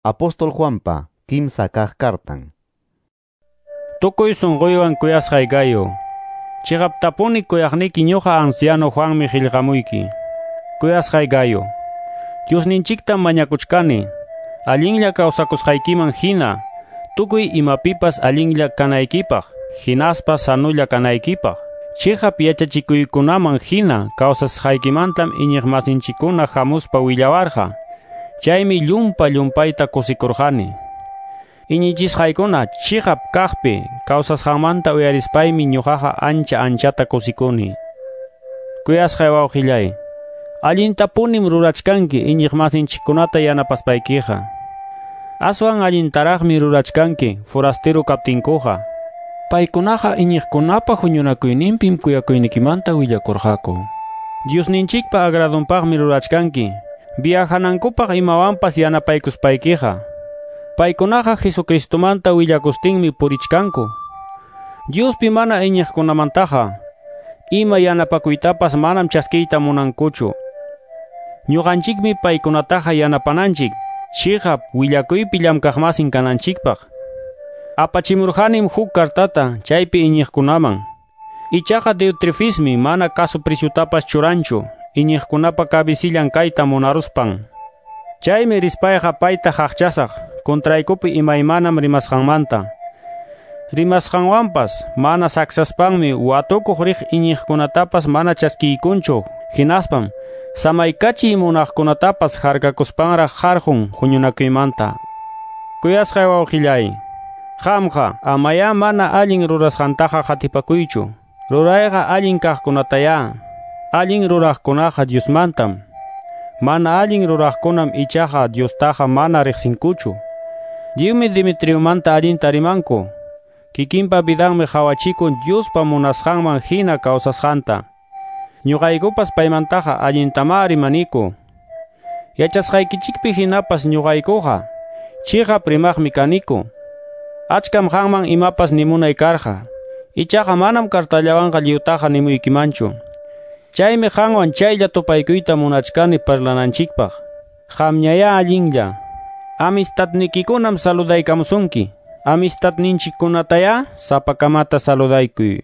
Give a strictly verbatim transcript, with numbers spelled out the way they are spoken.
Apóstol Juanpa kimsa kaq kartan. Tukuy sunquywan kuyasqay Gayo. Chiqaptapuni kuyaqniki ñuqa anciano Juanmi qillqamuyki. Kuyasqay Gayo. Diosninchiktam mañakuchkani. Allinlla kawsakusqaykiman hina, tukuy imapipas allinlla kanaykipaq, hinaspa sanulla kanaykipaq. Chiqap yachachikuykunaman hina kawsasqaykimantam iñiqmasinchikkuna hamuspa willawarqa. Chaymi llumpa llumpayta kusikurqani. Iñichisqaykuna chiqap kaqpi kawsasqanmanta uyarispaymi ñuqaqa ancha anchata kusikuni. Kuyasqay wawqillay, allintapunim rurachkanki iñiqmasinchikkunata yanapaspaykiqa. Aswan allintaraqmi rurachkanki forasteru kaptinkuqa. Paykunaqa iñiqkunapa huñunakuyninpim kuyakuynikimanta willakurqaku. Diosninchikpa agradunpaqmi rurachkanki. Viajanankupaq imawanpas yanapaykuspaykiqa. Paykunaqa Jesucristomanta willakustinmi purichkanku. Diospi mana iñiqkunamantaqa ima yanapakuytapas manam chaskiyta munankuchu. Ñuqanchikmi paykunataqa yanapananchik, chiqap willakuypi llamkaqmasin kananchikpaq. Apachimurqanim huk kartata chaypi iñiqkunaman. Ichaqa Diotrefismi mana kasu preciutapas churanchu, iñiqkunapa kabisillan kayta munaruspan. Chaymi rispayqa payta haqchasaq, kontraykupi imaymanam rimasqanmanta. Rimasqanwanpas mana saksaspanmi watukuq riq iñiqkunatapas mana chaskiykunchu, hinaspam samaykachiy munaqkunatapas harkakuspanraq harqun huñunakuymanta. Kuyasqay wawqillay, qamqa amayá mana allin rurasqantaqa qatipakuychu. Rurayqa allin kaqkunatayá. Allin ruraqkunaqa Diosmantam. Mana allin ruraqkunam ichaqa Diostaqa mana riqsinkuchu. Lliwmi Demetriomanta allinta rimanku. Kikinpa vidanmi qhawachikun Diospa munasqanman hina kawsasqanta. Ñuqaykupas paymantaqa allintamá rimaniku. Yachasqaykichikpi hinapas ñuqaykuqa chiqap rimaqmi kaniku. Achkam qanman imapas nimunay karqa. Ichaqa manam kartallawanqa lliwtaqa nimuykimanchu. Chaymi qanwan chaylla tupaykuyta munachkani parlananchikpaq. Qamñayá allinlla. Amistadnikikunam saludaykamusunki. Amistadninchikkunatayá sapakamata saludaykuy.